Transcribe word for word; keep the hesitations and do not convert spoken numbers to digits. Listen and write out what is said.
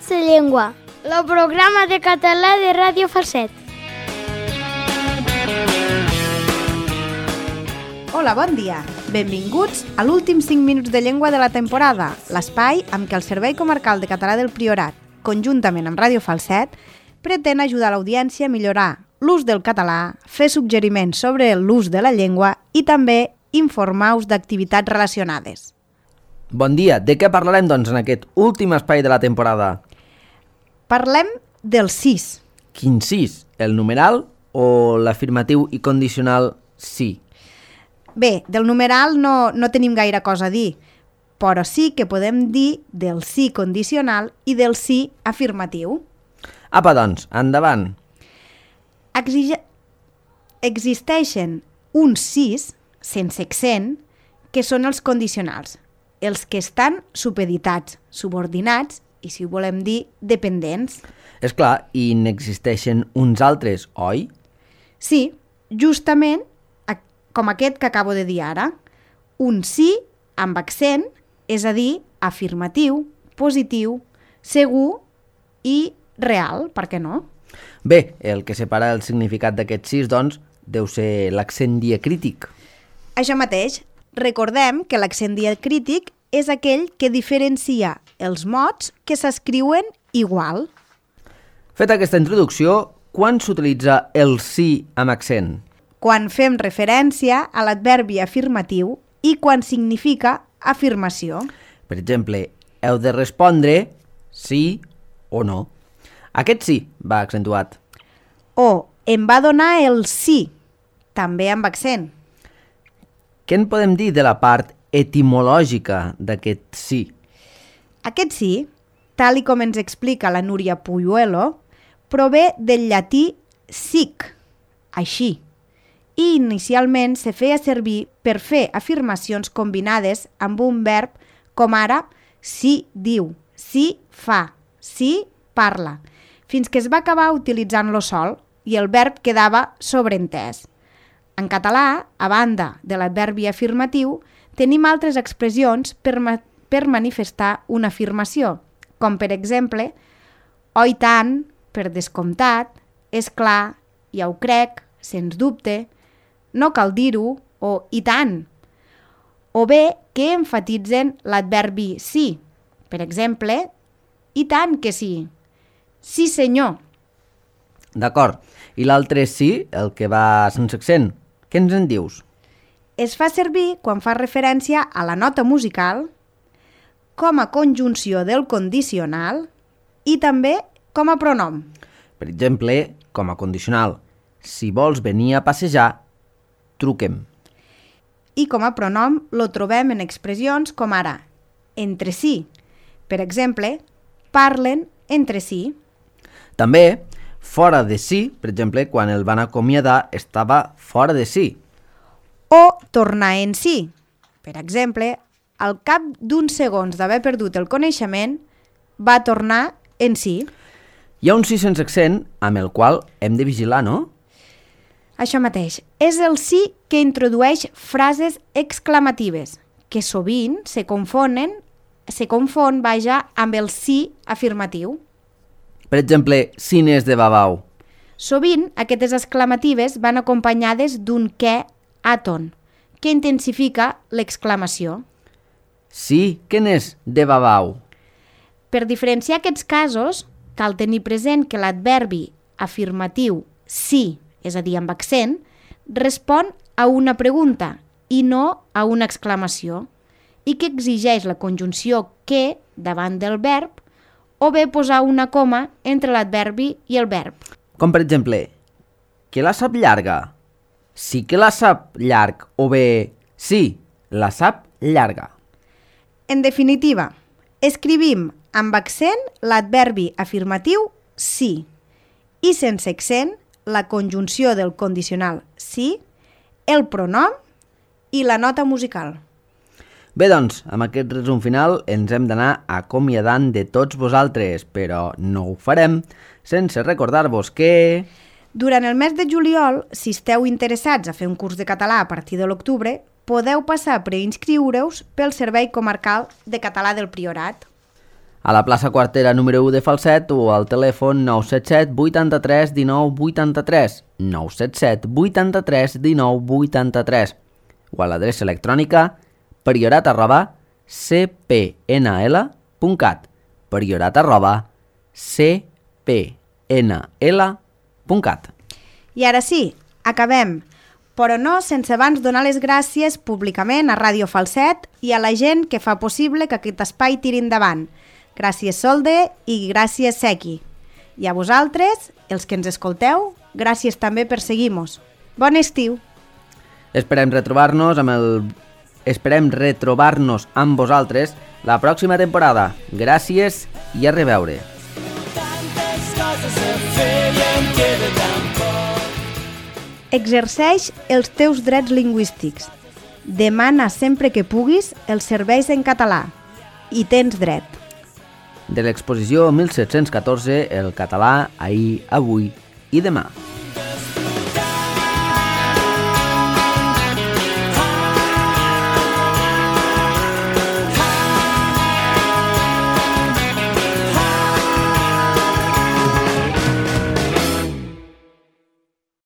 sa llengua, el programa de català de Ràdio Falset. Hola, bon dia. Benvinguts a l'últim cinc minuts de llengua de la temporada, l'espai amb què el Servei Comarcal de Català del Priorat, conjuntament amb Ràdio Falset, pretén ajudar l'audiència a millorar l'ús del català, fer suggeriments sobre l'ús de la llengua i també informar-vos d'activitats relacionades. Bon dia. De què parlarem, doncs, en aquest últim espai de la temporada? Parlem del sis. Quin sis? El numeral o l'afirmatiu i condicional sí? Bé, del numeral no, no tenim gaire cosa a dir, però sí que podem dir del sí condicional i del sí afirmatiu. Apa, doncs, endavant. Exige... Existeixen uns sis, sense accent, que són els condicionals, els que estan supeditats, subordinats i, si ho volem dir, dependents. És clar, i n'existeixen uns altres, oi? Sí, justament com aquest que acabo de dir ara. Un sí amb accent, és a dir, afirmatiu, positiu, segur i real, per què no? Bé, el que separa el significat d'aquest sis, doncs, deu ser l'accent diacrític. Això mateix. Recordem que l'accent diacrític és aquell que diferencia els mots que s'escriuen igual. Feta aquesta introducció, quan s'utilitza el sí amb accent? Quan fem referència a l'adverbi afirmatiu i quan significa afirmació. Per exemple, heu de respondre sí o no. Aquest sí va accentuat. O em va donar el sí, també amb accent. Què en podem dir de la part etimològica d'aquest sí? Aquest sí, tal i com ens explica la Núria Puyuelo, prové del llatí sic, així, i inicialment se feia servir per fer afirmacions combinades amb un verb com ara sí diu, sí fa, sí parla, fins que es va acabar utilitzant-lo sol i el verb quedava sobreentès. En català, a banda de l'adverbi afirmatiu, tenim altres expressions per, ma per manifestar una afirmació, com per exemple, oi tant, per descomptat, és clar, ja ho crec, sens dubte, no cal dir-ho, o i tant. O bé que enfatitzen l'adverbi sí. Per exemple, i tant que sí. Sí, senyor. D'acord. I l'altre sí, el que va sense accent, què ens en dius? Es fa servir quan fa referència a la nota musical, com a conjunció del condicional i també com a pronom. Per exemple, com a condicional, si vols venir a passejar, truquem. I com a pronom lo trobem en expressions com ara entre si. Per exemple, parlen entre si. També fora de si, per exemple, quan el van acomiadar estava fora de si. O tornar en si. Per exemple, al cap d'uns segons d'haver perdut el coneixement, va tornar en si. Hi ha un sí sense accent amb el qual hem de vigilar, no? Això mateix. És el sí que introdueix frases exclamatives, que sovint se confonen, se confon, vaja, amb el sí afirmatiu. Per exemple, cines de babau. Sovint, aquestes exclamatives van acompanyades d'un què àton, que intensifica l'exclamació. Sí, què n'és de babau? Per diferenciar aquests casos, cal tenir present que l'adverbi afirmatiu sí, és a dir, amb accent, respon a una pregunta i no a una exclamació, i que exigeix la conjunció que davant del verb o bé posar una coma entre l'adverbi i el verb. Com per exemple, que la sap llarga? Sí que la sap llarg, o bé sí, la sap llarga. En definitiva, escrivim amb accent l'adverbi afirmatiu sí i sense accent la conjunció del condicional sí, el pronom i la nota musical. Bé, doncs, amb aquest resum final ens hem d'anar acomiadant de tots vosaltres, però no ho farem sense recordar-vos que... Durant el mes de juliol, si esteu interessats a fer un curs de català a partir de l'octubre, podeu passar a preinscriure-us pel Servei Comarcal de Català del Priorat. a la plaça Quartera número u de Falset o al telèfon nou set set vuitanta-tres dinou vuitanta-tres, nou set set vuitanta-tres dinou vuitanta-tres, o a l'adreça electrònica priorat arroba c p n l punt cat, priorat arroba c p n l punt cat. I ara sí, acabem, però no sense abans donar les gràcies públicament a Ràdio Falset i a la gent que fa possible que aquest espai tiri endavant. Gràcies Solde i gràcies Sequi. I a vosaltres, els que ens escolteu, gràcies també per seguir-nos. Bon estiu! Esperem retrobar-nos amb el... Esperem retrobar-nos amb vosaltres la pròxima temporada. Gràcies i a reveure. Exerceix els teus drets lingüístics. Demana sempre que puguis els serveis en català. Hi tens dret. De l'exposició mil set-cents catorze, el català, ahir, avui i demà.